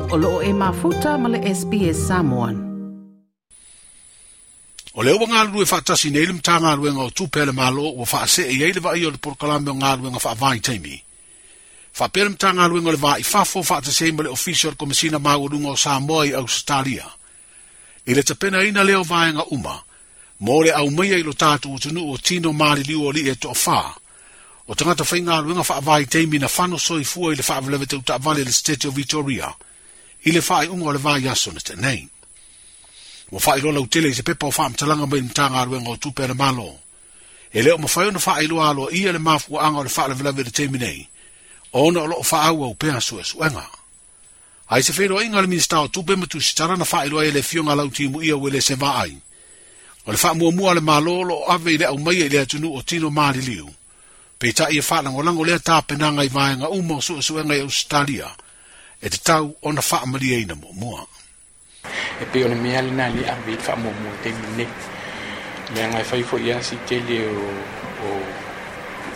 O loo e mafuta ma le SBS Samoan. O lea ua galulue faatasi nei le Matagaluega o Tupe a le Malo ua faasee i ai le vaaia o le polokalame o galuega faavaitaimi. Faapea le Matagaluega o le Va i Fafo faatasi ai ma le Ofisa o le Komesina Maualuga o Samoa i Ausetalia. I le tapenaina lea o vaega uma, mo le aumaia i lo tatou atunuu o tino maliliu o alii e toafā, o tagata faigaluega faavaitaimi na fano soifua i le faalavelave tau taavale i le Setete o Vitoria, i le faaiuga o le vaiaso na tea nei. Ua faailoa lautele i se pepa o faamatalaga mai le Matagaluega o Tupe a le Malo. E le o mafai ona faailoa aloaia le mafuaaga o le faalavelave i le taimi nei, ona o lo o faaauau pea suesuega. Ae se feiloaiga a le Minisita o Tupe ma Tusitala na faailoa ai e le Afioga a Lautimuia Uelese Vaai, o le faamuamua a le Malo o lo o ave i le aumaia i le atunuu o tino maliliu, peitai e faalagolago lea tapenaga i vaega uma o suesuega i Ausetalia e tatau ona faamalieina muamua. E pei o le mea lena lea ave i le faamuamua i le taimi lenei. Leaga e fai foi lava si tele o, o,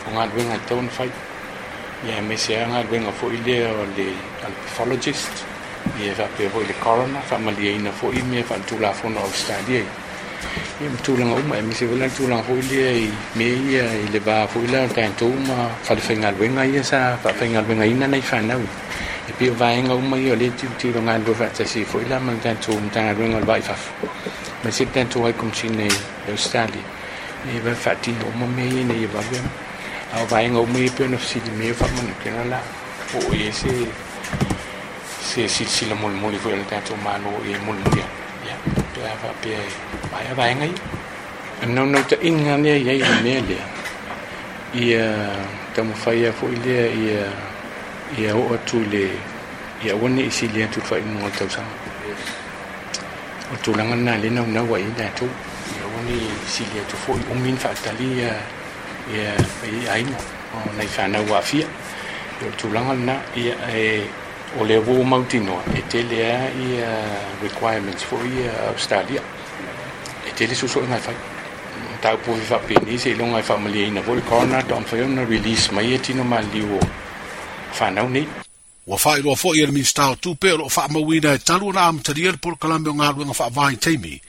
o galuega e tatau ona fai. Ia aemaise lava galuega foi lea o le, o le pathologist, ia faapea foi le coroner, faamalieina foi mea faaletulafono a Ausetalia ia. Ia ma tulaga uma, aemaise foi la le tulaga foi lea i mea ia i le va foi la o tatou ma falefaigaluega ia sa faafaigaluegaina nai fanau. E pei o vaega uma ia o lea e tilotilo galulue faatasi ai foi la ma le tatou Matagaluega o le Va i Fafo, aemaise le tatou High Commissioner i Ausetalia, e vave faatino uma mea ia ina ia vave ona. A o vaega uma ia e pei ona fesili mai ai o faamanatu la po o i ai se se silasila molimoli foi a le tatou Malo i ai mulimuli atu, ia, pe a faapea e maea vaega ia. O le naunautaiga lea i ai i le mea lea, ia taumafai lava foi lea ia ia oo atu i le ia aua ne i sili atu i le faaiuga o le tausaga. O le tulaga lena lea e naunau ai i ai tatou, ia aua ne i sili atu foi, umi ona faatali ia ia aiga o nai fanau ua aafia. O le tulaga lena, ia e o lea ua ou mautinoa e tele lava ia requirements foi ia a Ausetalia. E tele suesuega e fai. Mataupu foi faapenei seiloga e faamalieina foi le coroner faatoa mafai ona release mai ia tino maliliu o fanau nei. Ua faailoa foi e le Minisita o Tupe o lo o faamauina e talu ona amatalia le polokalame o galuega faavaitaimi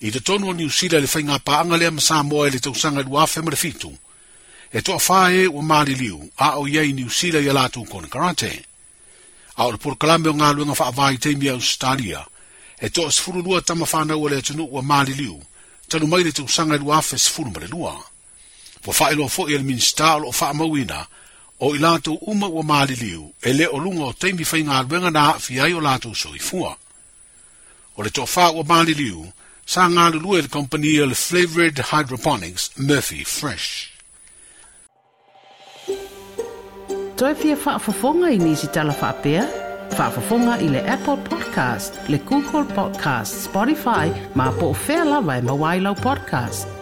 i totonu o Niu Sila i le faigapaaga lea ma Samoa i le tausaga 2007, e toafa e ua maliliu a o i ai i Niu Sila i a latou konekarate. A o le polokalame o galuega faavaitaimi a Ausetalia, e toa 12 tama fanau a le atunuu ua maliliu talu mai le tausaga 2012. Ua faailoa foi e le Minisita o lo o faamauina o i latou uma ua maliliu e le o luga o taimi faigaluega na aafia ai o latou soifua. O le toafa ua maliliu sa galulue i le kamupani o le Flavoured Hydroponics Murphy Fresh. Toe fia faafofoga i nisi tala faapea? Faafofoga i le Apple Podcast, le Google Podcast, Spotify, ma po o fea lava e maua ai lau podcast.